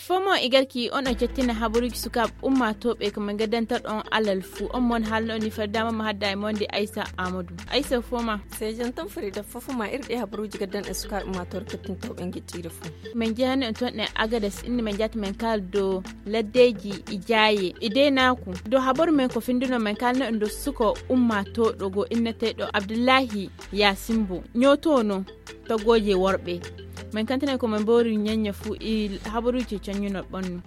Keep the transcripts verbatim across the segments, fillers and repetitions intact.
Fomo e garki on o jettina habaruuji sukaaɓe ummaatooɓe ko min gaddantaɗo on alal fuu. On mon haalno ni faddaama mo hadda e monde aysa amadou aysa foma. Sejan tan farida fofoma irɗi habaruuji gaddan e sukaaɓe ummaatooɓe kettintooɓe en geƴƴiire fuu. Min jehani on toon e agades inni min jata min kaaldo laddeeji e jaaye e deynaaku. Dow habaru men ko finndunoo min kaalno en dow suko ummaatooɗo goo inneteeɗo abdullahi yaasimbo ñootoono togooje worɓe. Min kantinay ko min mboori ñeñña fuu e habaruuji coññunoo ɓonnu.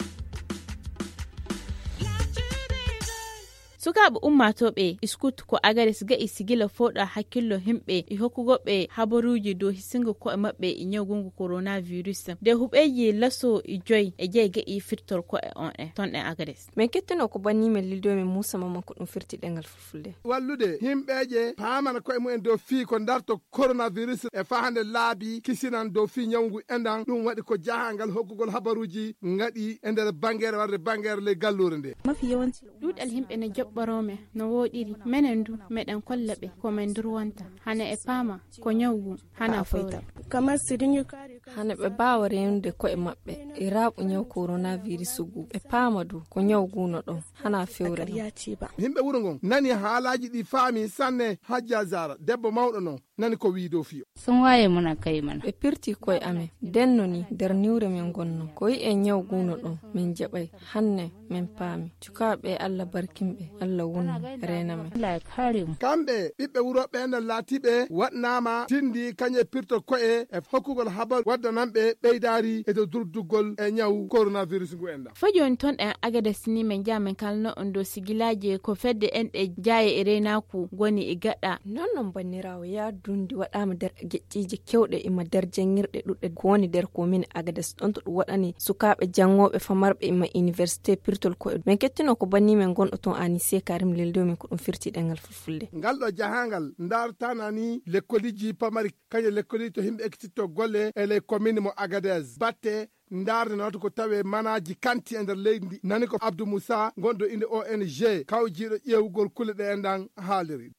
Sukaaɓe ummaatooɓe iskut ko agares ga'i sigila fooɗa hakkillo himɓe e hokkugoɓe habaruuji dow hisingo ko'e maɓɓe e ñawgungu koronavirus. Nde huɓeeji laso e joy e jey ga'i firtor ko'e on e ton e agares. Min kettino ko banni men lildo men muusa mamman ko ɗum firti ɗengal fulfulde. Wallude himɓeeje paamana ko'e mumen dow fii ko darto koronavirus e fahande laabi kisinan dow fii ñawngu endan ɗum waɗi ko jahangal hokkugol habaruuji ngaɗi e nder bangere warde bangere ley galluure nde. Ɗuuɗal himɓe ne joɓɓoroo men no wooɗiri. Menen du meɗen kolla ɓe ko men durwonta hana e paama ko ñaw ngu hana fowre. Hana ɓe mbaawa reenude ko'e maɓɓe e raaɓu ñaw koronavirus ngu ɓe paama du ko ñaw ngu no ɗon hana fewre non. Yimɓe wuro ngon nani haalaaji ɗi faami sanne. Hajja zara debbo mawɗo non nani ko wii dow fiyo. Sun waye muna kai mana. Ɓe pirti koye amen denno ni nder niwre men ngonno ko yi'e ñaw ngu no ɗon min jaɓay. Hanne min paami cukaaɓe allah barkinɓe allah wonno reena men. Kamɓe ɓiɓɓe wuro ɓe nden laatiɓe waɗnaama tindi kañe pirto koye e hokkugol habar waddananɓe ɓeydaari e dow durduggol e ñaw koronavirus ngu enɗan. Fo jooni toon ɗen agades ni min njaha min kalno on dow sigilaaji ko fedde enɗe jaaye e reynaaku ngoni e gaɗa. Non non banniraawo yaadundi waɗaama nder geƴƴiije kewɗe ima nder janngirɗe ɗuɗɗe ko woni nder komin agades ɗon to ɗum waɗani sukaaɓe janngooɓe famarɓe ima iniwersité pirtol koye min kettino ko banni men gonɗo toon anise karim leldew min ko ɗum firti ɗengal fulfulde. Ngal ɗo jahangal ndartana ni lekkoliji pamari kañe lekkoli to himɓe ekkititto golle e ley commune mo agadez batte ndarde nawata ko tawe manaji kanti e nder leydi ndi nani ko abdou moussa gonɗo inde ong kawjiɗo ƴeewugol kulle ɗe enɗan haaliri.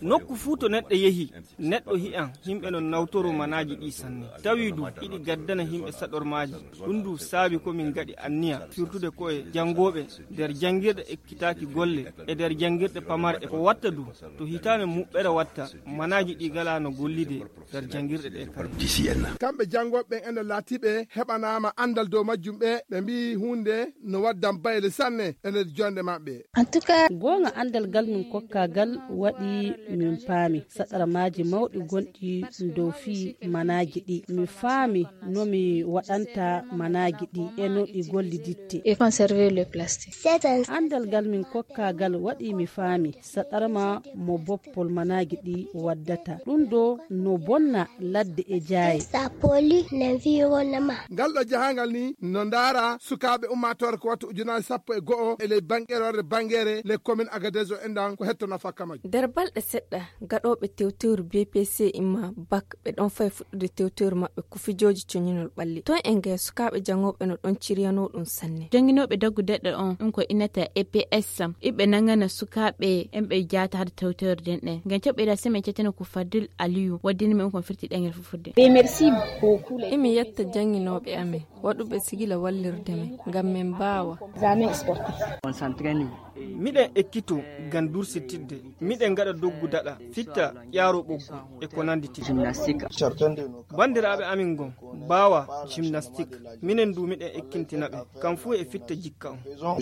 Nokku fuu to neɗɗo yehi neɗɗo hi'an himɓe non nawtoro manaji ɗi sanne tawi du hiɗi gaddana himɓe saɗormaji. Ɗum du saabi ko min gaɗi anniya firtude koye janngooɓe nder janngirɗe ekkitaaki golle e nder janngirɗe pamare e ko watta du to hitaande muɓɓere watta manaaji ɗi galaa no gollidee nder janngirɗe ɗee kala. Kamɓe janngooɓe ɓen ene laatiɓe heɓanaama anndal dow majjum ɓe ɓe mbiyi huunde no waddan bayle sanne e nder jonde maɓɓe. Goonga anndal ngal min kokkaa ngal waɗi min paami saɗarmaaji mawɗi gonɗi dow fii manaaji ɗi mi faami no mi waɗanta manaaji ɗi e no ɗi golliditte. Anndal ngal min kokkaa ngal waɗi mi faami saɗarma mo boppol manaaji ɗi waddata ɗum ɗo no bonna ladde e jaaye. Ngal ɗo jahangal ni no ndaara sukaaɓe ummaatoore ko wattu ujunaaji sappo e go'o e ley bangeere warde bangeere ley commune agadez o enɗan ko hetto nafa kamaji. Nder balɗe seɗɗa gaɗooɓe tewtewru bpc imma bak ɓe ɗon fay fuɗɗude tewtewru maɓɓe ko fijooji coñinol ɓalli toon en gaya sukaaɓe janngooɓe no ɗon ciryanoo ɗum sanne. Jannginooɓe daggu deɗɗo on ɗum ko innata eps iɓe nangana sukaaɓe en ɓe jaata hade tewtewre den ɗen ngam caɓɓira semaine cettene ko fadil aliyu waddini men kon firti ɗengel fuffude. Emi yetta jannginooɓe amen waɗuɓe sigila wallirde men ngam min mbaawa. Miɗen ekkito ngam dursitidde miɗen ngaɗa doggu daɗa fitta ƴaaro ɓoggu e ko nanndi ti. Banndiraaɓe amin ngon mbaawa gimnastik minen du miɗen ekkintina ɓe kam fuu e fitta jikka on.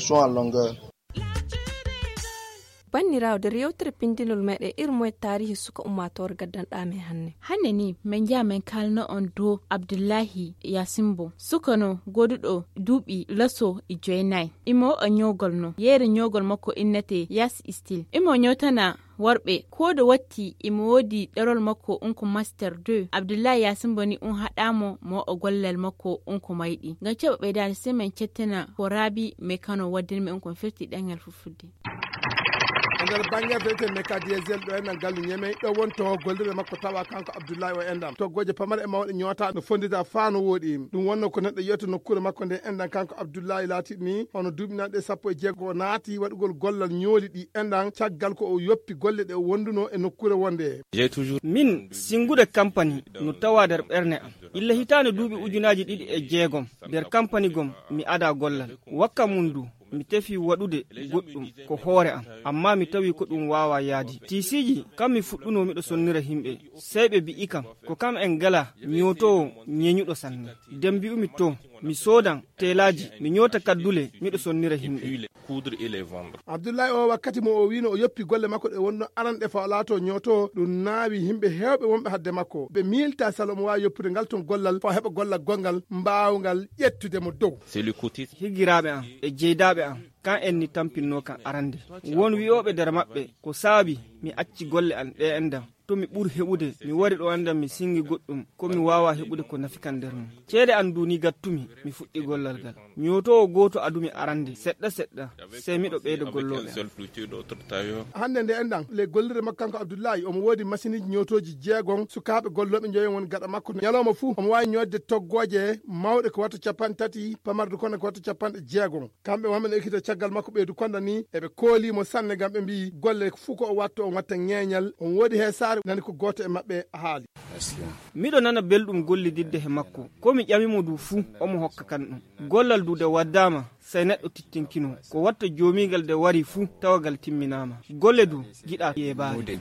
Banndiraawo nder yewtere pinndinol meɗen irmoye taarihi suka ummaatoore gaddanɗaa men hannde. Hannde ni min njaha min kaalno on dow abdullahi yasimbo sukano goduɗo duuɓi laso e joynayi. Imo o ñoogol no yeere ñoogol makko innete yas stil imo ñootana worɓe koodo watti imo woodi ɗerol makko unko master deux abdullahi yasimbo ni un haɗaamo mo o gollal makko unko mayɗi ngam ceɓa ɓeydaade semaine cettina ko raabi mais kano waddinmi unko firti ɗengal fuffude. Nder bannge fewte meka diesel ɗo enɗan gallu ñemey ɗo woni to gollirde makko tawa kanko Abdullahi o enɗan toggooje pamare e mawɗe ñoota no fonndita faa no wooɗi. Ɗum wonno ko neɗɗo yiyata nokkuure makko nde enɗan kanko Abdullahi laatiɗi ni hono duuɓi nanɗe sappo e jeego o naati waɗugol gollal ñooli ɗi enɗan caggal ko o yoppi golle ɗe o wonduno e nokkuure wonde. Min sinngude kampani no tawa nder ɓerne am. Illa hitaande duuɓi ujunaaji ɗiɗi e jeegom nder kampani gom mi ada gollal. Wakka mum du mi tefi waɗude goɗɗum ko hoore am, amma mi tawi ko ɗum waawa yaadi. Tiisiiji kam mi fuɗɗuno miɗo sonnira himɓe, sey ɓe mbi'i kam ko kam en gala ñootoowo ñeñuɗo sanne. Nden mbi'umi to mi soodan teelaaji mi ñoota kaddule miɗo sonnira himɓe. Abdullahi o wakkati mo o wiino o yoppi golle makko ɗe wonno aranɗe fa o laato ñooto ɗum naawi yimɓe heewɓe wonɓe hadde makko ɓe miilta salo omo waawi yoppude ngal tun gollal fa o heɓa gollal gonngal mbaawngal ƴettude mo dow. Higiraaɓe am e jeydaaɓe am kan en ni tampinnoo kan arande. Won wi'ooɓe nder maɓɓe ko saabi mi acci golle am ɗe enɗan to mi ɓur heɓude mi wari ɗo enɗan mi sinngi goɗɗum ko mi waawa heɓude ko nafi kan nder mum. Ceede am du ni gattumi mi fuɗɗi gollal ngal. Ñootoowo gooto adumi arande seɗɗa seɗɗa sey miɗo ɓeyda gollooɓe am. Hannde nde enɗan le gollirde makko kanko Abdullahi omo woodi masiniiji ñootooji jeegon sukaaɓe gollooɓe njoyon woni gaɗa makko. Ñalooma fuu omo waawi ñoodde toggooje mawɗe ko watta capanɗe tati pamarde kono ko watta capanɗe jeegon. Kamɓe wonɓe no ekkita caggal makko ɓeydu konda ni eɓe koolimo sanne ngam ɓe mbi'i golle fuu ko o watto on watta ŋeeñal on woodi heesaare nani ko gooto e maɓɓe haali. Miɗo nana belɗum gollididde he makko ko mi ƴamimo du fuu omo hokka kan ɗum. Gollal du de waddama sey neɗɗo tittinkino ko watta joomigal de wari fuu tawagal timminama. Golle du giɗa yeebaade.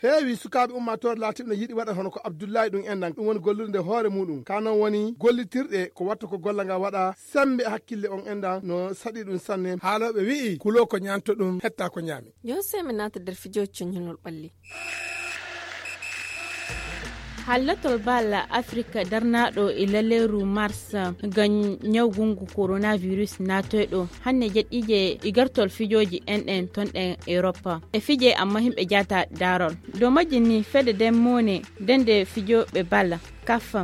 Heewi sukaaɓe ummaatoore laatiɓe no yiɗi waɗa hono ko Abdullahi ɗum enɗan ɗum woni gollude nde hoore muɗum ka non woni gollitirɗe ko watta ko golla nga waɗa. Sembe hakkille on enɗan no saɗi ɗum sanne. Haalooɓe wi'i kuloo ko ñaanto ɗum hetta ko ñaami. Yo sey mi naata nder fijooji coññunol ɓalli. Hallatol balla Afrika darnaaɗo e laleeru mars ngam ñawgungu coronavirus naatoyɗo hannde jeɗɗiije e gartol fijooji enɗen tonɗen Europa e fije amma himɓe jaata daarol. Dow majji ni fedde den mone dende fijooɓe balla kaf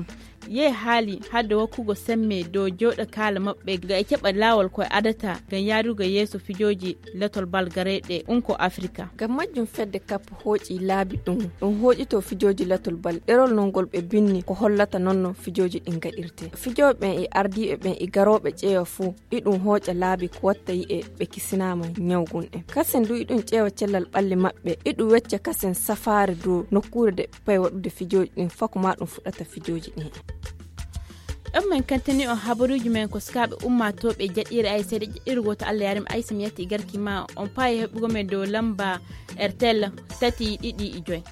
yehi haali hadde wokkugo semme dow jooɗo kaala maɓɓe ga e keɓa laawol koye adata ngam yaarugo yeeso fijooji latol bal gareyɗe unko Afrika. Ngam majjum fedde kap hooƴi laabi ɗum ɗum hooƴito fijooji latol bal ɗerol non ngol ɓe binni ko hollata non no fijooji ɗin gaɗirte. Fijooɓe ɓen e ardiiɓe ɓen e garooɓe ƴeewa fuu iɗum hooƴa laabi ko watta yi'e ɓe kisinaama ñawgun ɗen. Kasen du iɗum ƴeewa cellal ɓalli maɓɓe iɗum wecca kasen safaare dow nokkuure de pay waɗude fijooji ɗin fako ma ɗum fuɗɗata fijooji ɗin. Ɗon min kantini on habaruuji men ko sukaaɓe ummaatooɓe jaɗɗiire ay seeɗa ƴeɗɗiire gooto Allah yaari mi aysa mi yatti garki ma on paayi heɓugo men dow lamba rtl tati ɗiɗi e joy.